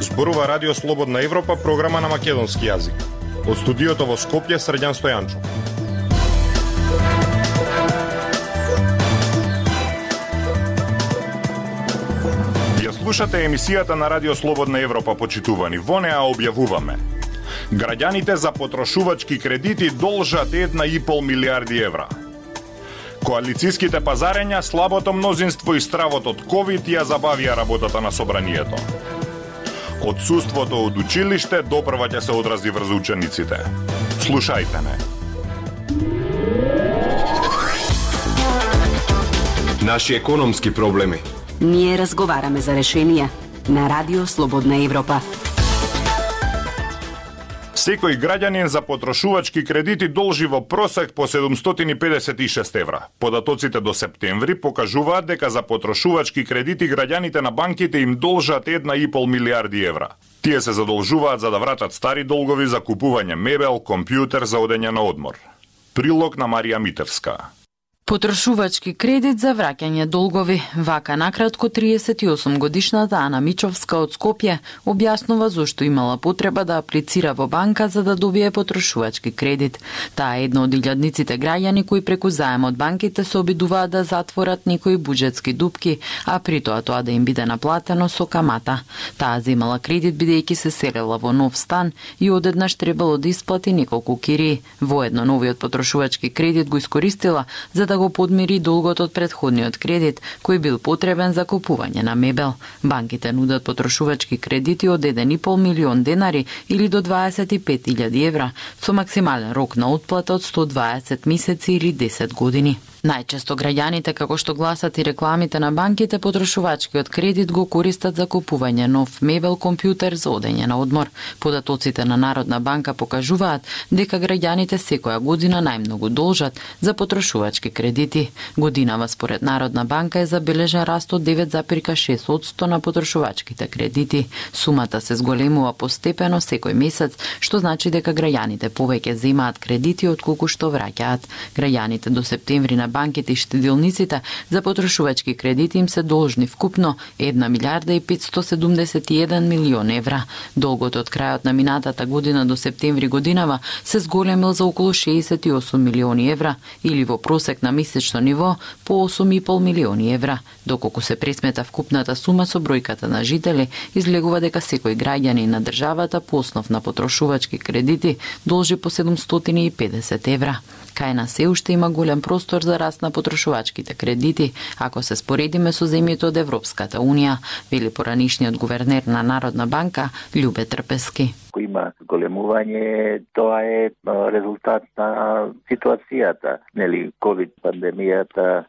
Зборува Радио Слободна Европа, програма на македонски јазик. Од студиото во Скопје, Срđan Стојанчов. Ја слушате емисијата на Радио Слободна Европа, почитувани. Во неа објавуваме: граѓаните за потрошувачки кредити должат 1,5 милијарди евра. Коалицијските пазарења, слабото мнозинство и стравот од ковид ја забавија работата на собранието. Отсуството од училиште допрва ќе се одрази врз учениците. Слушајте не. Наши економски проблеми. Ние разговараме за решенија на Радио Слободна Европа. Секој граѓанин за потрошувачки кредити должи во просек по 756 евра. Податоците до септември покажуваат дека за потрошувачки кредити граѓаните на банките им должат 1,5 милијарди евра. Тие се задолжуваат за да вратат стари долгови за купување мебел, компјутер за одење на одмор. Прилог на Марија Митевска. Потрошувачки кредит за враќање долгови. Вака накратко 38-годишната Ана Мичовска од Скопје објаснува зошто имала потреба да аплицира во банка за да добие потрошувачки кредит. Таа е една од илјадниците граѓани кои преку заем од банките се обидуваат да затворат некои буџетски дупки, а при тоа да им биде наплатено со камата. Таа земала кредит бидејќи се селела во нов стан и одеднаш требало да исплати неколку кирии. Воедно новиот потрошувачки кредит го искористила за да го подмири долгот од претходниот кредит, кој бил потребен за купување на мебел. Банките нудат потрошувачки кредити од 1,5 милион денари или до 25.000 евра, со максимален рок на отплата од 120 месеци или 10 години. Најчесто граѓаните, како што гласат и рекламите на банките, потрошувачкиот кредит го користат за купување нов мебел, компјутер за одење на одмор. Податоците на Народна банка покажуваат дека граѓаните секоја година најмногу должат за потрошувачки кредити. Годинава според Народна банка е забележен раст од 9,6% на потрошувачките кредити. Сумата се зголемува постепено секој месец, што значи дека граѓаните повеќе земаат кредити отколку што враќаат. Граѓаните до септември на банките и штедилниците за потрошувачки кредити им се должни вкупно 1 милијарда и 571 милион евра. Долгот од крајот на минатата година до септември годинава се зголемил за околу 68 милиони евра или во просек на месечно ниво по 8,5 милиони евра. Доколку се пресмета вкупната сума со бројката на жители, излегува дека секој граѓанин на државата по основ на потрошувачки кредити должи по 750 евра. Кај нас се уште има голем простор за раст на потрошувачките кредити, ако се споредиме со земјите од Европската Унија, вели поранишниот гувернер на Народна банка Љубе Трпески. Ако има зголемување, тоа е резултат на ситуацијата, нели, ковид пандемијата,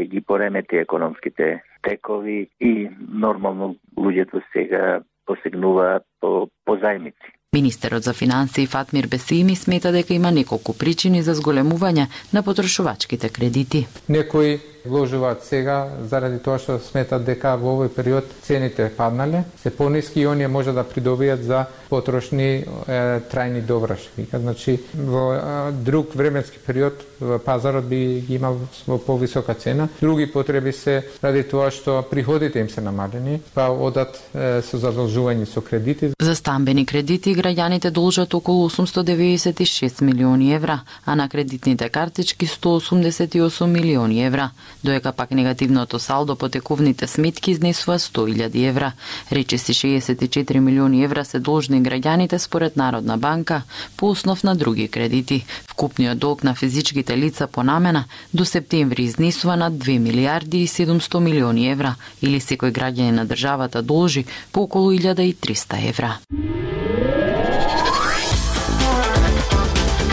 ги поремети економските текови и нормално луѓето сега посегнуваат по зајмици. Министерот за финансии Фатмир Бесими смета дека има неколку причини за зголемување на потрошувачките кредити. Некои вложуваат сега заради тоа што сметат дека во овој период цените паднале, се пониски и оние може да придобијат за потрошни трајни довршки. Значи во друг временски период пазарот би ги имал во повисока цена. Други потреби се ради тоа што приходите им се намалени, па одат со задолжување со кредити. За стамбени кредити граѓаните должат околу 896 милиони евра, а на кредитните картички 188 милиони евра, доека пак негативното салдо по тековните сметки изнесува 100.000 евра. Речиси 64 милиони евра се должни граѓаните според Народна банка по основ на други кредити. Вкупниот долг на физичките лица по намена до септември изнесува над 2 милијарди и 700 милиони евра, или секој граѓанин на државата должи по околу 1300 евра.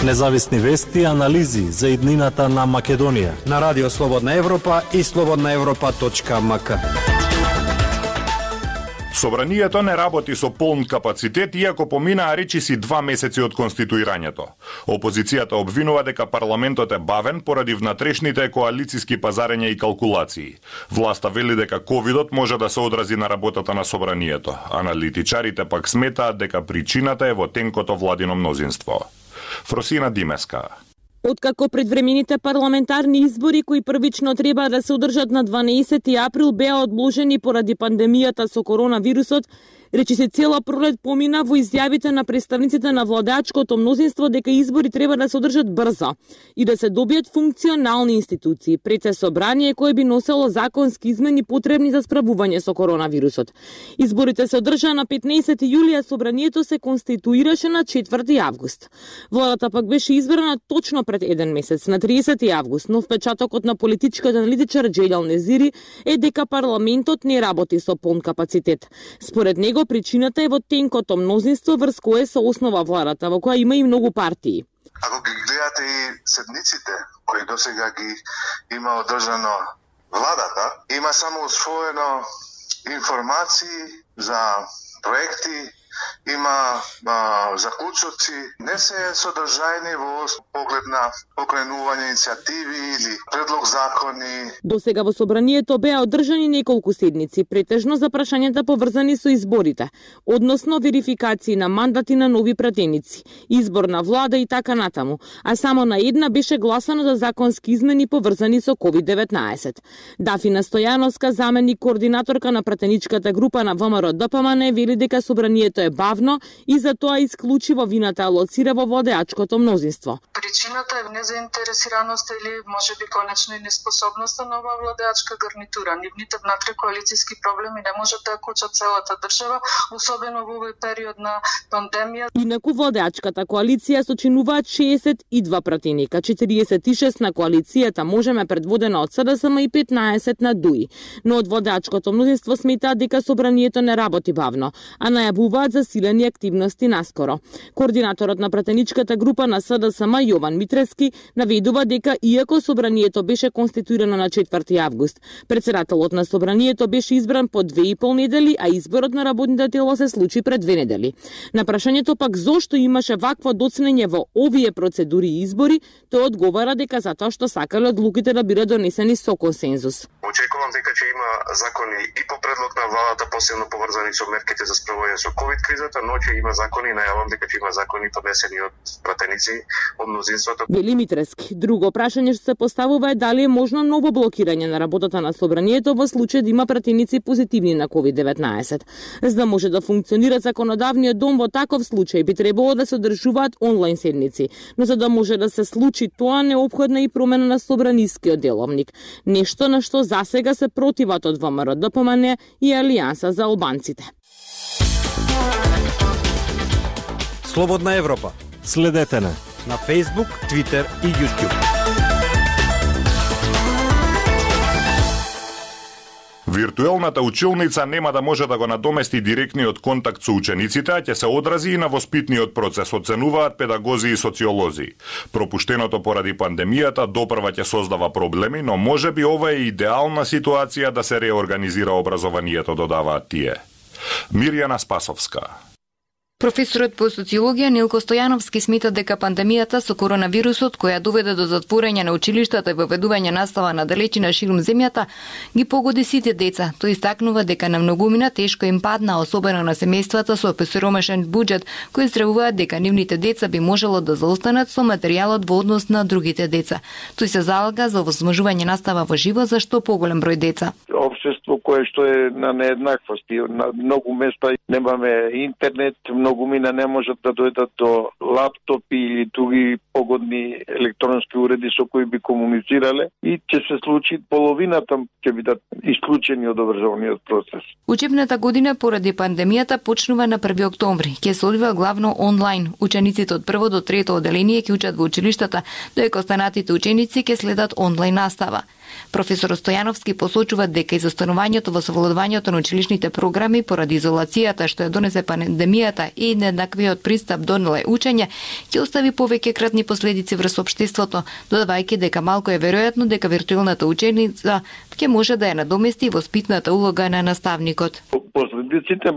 Независни вести и анализи за иднината на Македонија На Радио Слободна Европа и slobodnaevropa.mk. Собранието не работи со полн капацитет, иако поминаа речиси 2 месеци од конституирањето. Опозицијата обвинува дека парламентот е бавен поради внатрешните коалициски пазарења и калкулации. Власта вели дека ковидот може да се одрази на работата на собранието. Аналитичарите пак сметаат дека причината е во тенкото владино мнозинство. Фросина Димеска. Откако предвремените парламентарни избори кои првично треба да се одржат на 12 април беа одложени поради пандемијата со коронавирусот, речи се цела пролет помина во изјавите на представниците на владеачкото мнозинство дека избори треба да се одржат брзо и да се добијат функционални институции пред се собрание кое би носело законски измени потребни за справување со коронавирусот. Изборите се одржаа на 15 јули, а собранието се конституираше на 4 август. Владата пак беше избрана точно пред еден месец, на 30 август, но впечатокот на политичкиот аналитичар Джејдал Незири е дека парламентот не работи со полн капацитет. Според него причината е во тенкото мнозинство врз кое се основа владата, во која има и многу партии. Ако ги гледате и седниците кои досега ги има одржано владата, има само усвоено информации за проекти, има заклучоци, не се содржајни во поглед на покренување иницијативи или предлог закони. Досега во собранието беа одржани неколку седници, претежно за прашањата поврзани со изборите, односно верификации на мандати на нови пратеници, избор на влада и така натаму, а само на една беше гласано за законски измени поврзани со COVID-19. Дафина Стојановска, заменик координаторка на пратеничката група на ВМРО-ДПМН, вели дека собранието е бавно и затоа исклучиво вината алоцира во владеачкото мнозинство. Причината е незаинтересираност или можеби конечно и неспособноста на оваа владеачка гарнитура. Нивните внатре коалицијски проблеми не можат да кочат целата држава, особено во овој период на пандемија. Инаку владеачката коалиција сочинуваат 62 пратеника, 46 на коалицијата Можеме предводена од СДСМ и 15 на ДУИ. Но од владеачкото мнозинство сметаат дека собранието не работи бавно, а најавуваат засилени активности наскоро. Координаторот на пратеничката група на СДСМ Јован Митрески наведува дека иако собранието беше конституирано на 4 август, председателот на собранието беше избран по 2,5 недели, а изборот на работните тело се случи пред 2 недели. На прашањето пак зошто имаше вакво доцнење во овие процедури и избори, тој одговара дека затоа што сакале одлуките да бидат донесени со консензус. Очекувам дека ќе има закони и по предлог на владата, посебно поврзани со мерките за справување со ковид кризата, но ќе има закони, најавам дека ќе има закони поднесени од пратеници од мнозинството. Вели Митрески. Друго прашање што се поставува е дали е можно ново блокирање на работата на собранието во случај да има пратеници позитивни на COVID-19. За да може да функционира законодавниот дом во таков случај би требало да се одржуваат онлайн седници, но за да може да се случи тоа неопходна и промена на собранискиот деловник, нешто на што засега се противат од ВМРО-ДПМН и Алијанса за албанците. Слободна Европа. Следете на Facebook, Twitter и YouTube. Виртуелната училница нема да може да го надомести директниот контакт со учениците, а ќе се одрази и на воспитниот процес, оценуваат педагози и социолози. Пропуштеното поради пандемијата допрва ќе создава проблеми, но можеби ова е идеална ситуација да се реорганизира образованието, додаваат тие. Мирјана Спасовска. Професорот по социологија Нилко Стојановски смета дека пандемијата со коронавирусот, која доведе до затворање на училиштата и воведување настава на далечина ширум земјата, ги погоди сите деца. Тој истакнува дека на многумина тешко им падна, особено на семејствата со посиромашен буџет, кои здравуваат дека нивните деца би можело да заостанат со материјалот во однос на другите деца. Тој се залага за овозможување настава во живо за што поголем број деца. Општество кое што е на нееднаквости, на многу места немаме интернет, многумина не можат да дојдат до лаптопи или други погодни електронски уреди со кои би комуницирале и ќе се случи половината ќе бидат исклучени од образовниот процес. Учебната година поради пандемијата почнува на 1 октомври. Ќе се одвива главно онлайн. Учениците од 1 до 3 одделение ќе учат во училиштата, додека останатите ученици ќе следат онлайн настава. Професор Стојановски посочува дека изостанувањето во совладувањето на училишните програми поради изолацијата што ја донесе пандемијата и нееднаквиот пристап до учење ќе остави повеќе кратни последици врз општеството, додавајќи дека малку е веројатно дека виртуелната ученица ќе може да ја надомести воспитната улога на наставникот. Последиците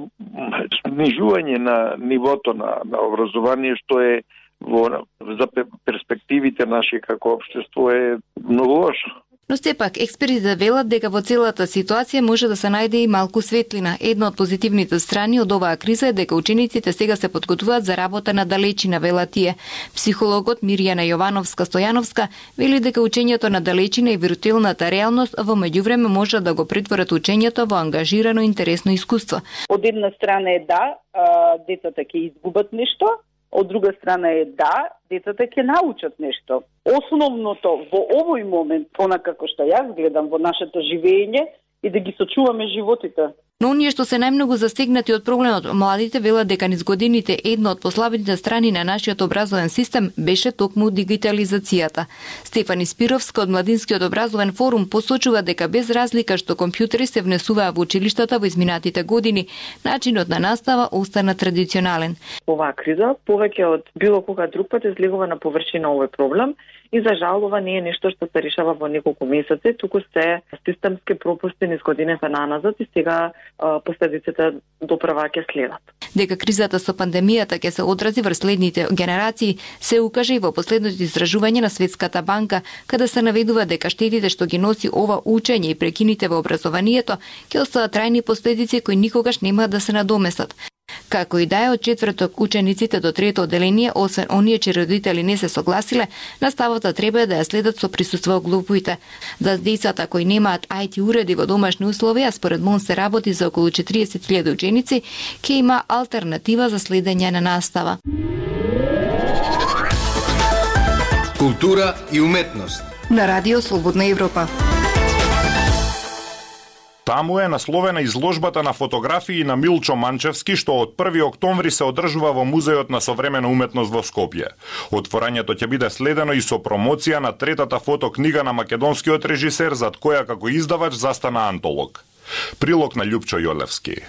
снижување на нивото на образование што е за перспективите наши како општество е многу лошо. Но сепак, експертите велат дека во целата ситуација може да се најде и малку светлина. Една од позитивните страни од оваа криза е дека учениците сега се подготвуваат за работа на далечина, вела тие. Психологот Мирјана Јовановска-Стојановска вели дека учењето на далечина и виртуелната реалност во меѓувреме може да го претворат учењето во ангажирано и интересно искуство. Од една страна е децата ќе изгубат нешто, од друга страна е децата ќе научат нешто. Основното во овој момент, онакако што јас гледам во нашето живење, и да ги сочуваме животите. Но оние што се најмногу застигнати од проблемот, младите велат дека низ годините една од послабите страни на нашиот образовен систем беше токму дигитализацијата. Стефани Спировска од Младинскиот образовен форум посочува дека без разлика што компјутери се внесуваа во училиштата во изминатите години, начинот на настава остана традиционален. Оваа криза повеќе од било кога друг пат излегува на површина овој проблем и за жал ова не е нешто што се решава во неколку месеци, туку се системски пропусти низ годината наназад и сега последиците доправа ќе следат. Дека кризата со пандемијата ќе се одрази врз следните генерации се укаже и во последното истражување на Светската банка, каде се наведува дека штетите што ги носи ова учење и прекините во образованието ќе остават трајни последици кои никогаш нема да се надоместат. Како и да е, од четврток учениците до трето одделение, освен оние чии родители не се согласиле, наставата треба да ја следат со присуство глупуите. За децата кои немаат IT уреди во домашни услови, а според МОН се работи за околу 40.000 ученици, ќе има алтернатива за следење на настава. Култура и уметност на Радио Слободна Европа. Таму е насловена изложбата на фотографии на Милчо Манчевски, што од 1 октомври се одржува во Музеот на современа уметност во Скопје. Отворањето ќе биде следено и со промоција на третата фотокнига на македонскиот режисер, зад која како издавач застана антолог. Прилог на Љупчо Јолевски.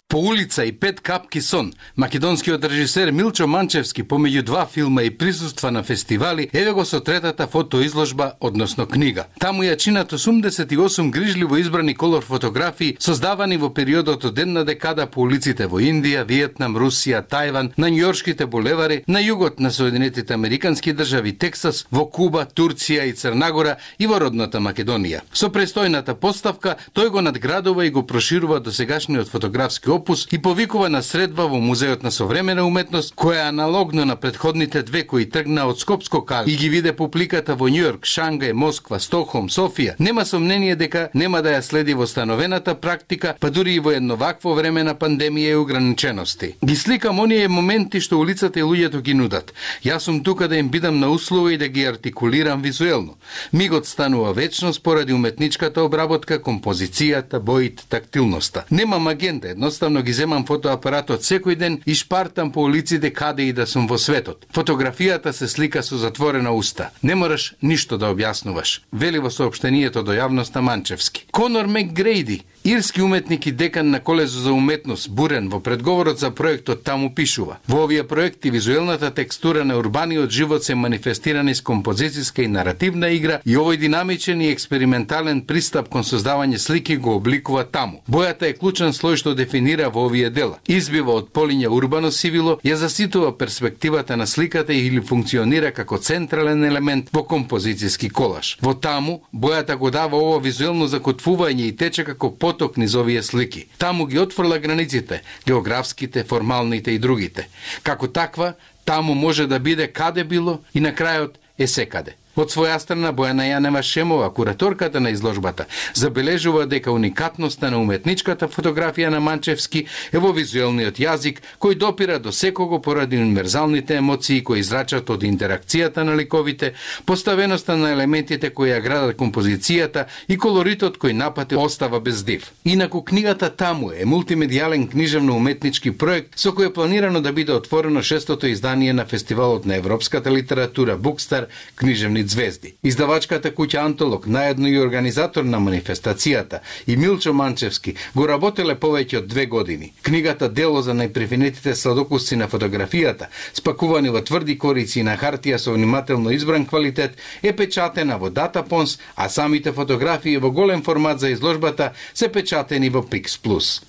По улица и 5 капки сон, македонскиот режисер Милчо Манчевски помеѓу 2 филма и присуства на фестивали, еве го со третата фотоизложба, односно книга. Таму ја чинат 88 грижливо избрани колор фотографии, создавани во периодот од една декада по улиците во Индија, Виетнам, Русија, Тајван, на њујоршките булевари, на југот на Соединетите американски држави, Тексас, во Куба, Турција и Црнагора и во родната Македонија. Со престојната поставка, тој го надградува и го проширува досегашниот фотографски опус и повикува на средба во Музеот на современа уметност, која аналогно на предходните две кои тргна од Скопско кај и ги виде публиката во Њујорк, Шангај, Москва, Стокхолм, Софија, нема сомнение дека нема да ја следи во становената практика, па дури и во едно вакво време на пандемија и ограничености. Ги сликам оние моменти што улицата и луѓето ги нудат. Јас сум тука да им бидам на услуга и да ги артикулирам визуелно. Мигот станува вечност поради уметничката обработка, композицијата, боите, тактилноста. Немам агенда, едноставно ги земам фотоапаратот секој ден и шпартам по улиците каде и да сум во светот. Фотографијата се слика со затворена уста. Не мораш ништо да објаснуваш, вели во соопштението до јавноста Манчевски. Конор Макгрейди, ирски уметник и декан на Колежот за уметност Бурен, во предговорот за проектот таму пишува: во овие проекти визуелната текстура на урбаниот живот се манифестирани с композицијска и наративна игра и овој динамичен и експериментален пристап кон создавање слики го обликува таму. Бојата е клучен слој што дефинира во овие дела. Избива од полиња урбано сивило, ја заситува перспективата на сликата или функционира како централен елемент во композицијски колаж. Во таму, бојата го дава ова визуелно закотвување и тече како поток низ овие слики. Таму ги отфрла границите, географските, формалните и другите. Како таква, таму може да биде каде било и на крајот е секаде. Од своја страна Бојана Јанева Шемова, кураторката на изложбата, забележува дека уникатноста на уметничката фотографија на Манчевски е во визуелниот јазик кој допира до секого поради универзалните емоции кои израчат од интеракцијата на ликовите, поставеноста на елементите кои ја градат композицијата и колоритот кој напати остава без див. Инаку книгата таму е мултимедијален книжевно-уметнички проект со кој е планирано да биде отворено 6-то издание на фестивалот на европската литература Букстар, книжевни звезди. Издавачката куќа Антолог, наедно и организатор на манифестацијата, и Милчо Манчевски го работеле повеќе од 2 години. Книгата дело за најпрефинетите сладокусци на фотографијата, спакувани во тврди корици и на хартија со внимателно избран квалитет, е печатена во Датапонс, а самите фотографии во голем формат за изложбата се печатени во Pix Plus.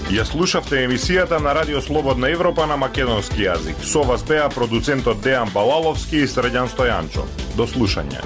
Ја слушавте емисијата на Радио Слободна Европа на македонски јазик. Со вас беа продуцентот Дејан Балаловски и Средјан Стојанчо. До слушање.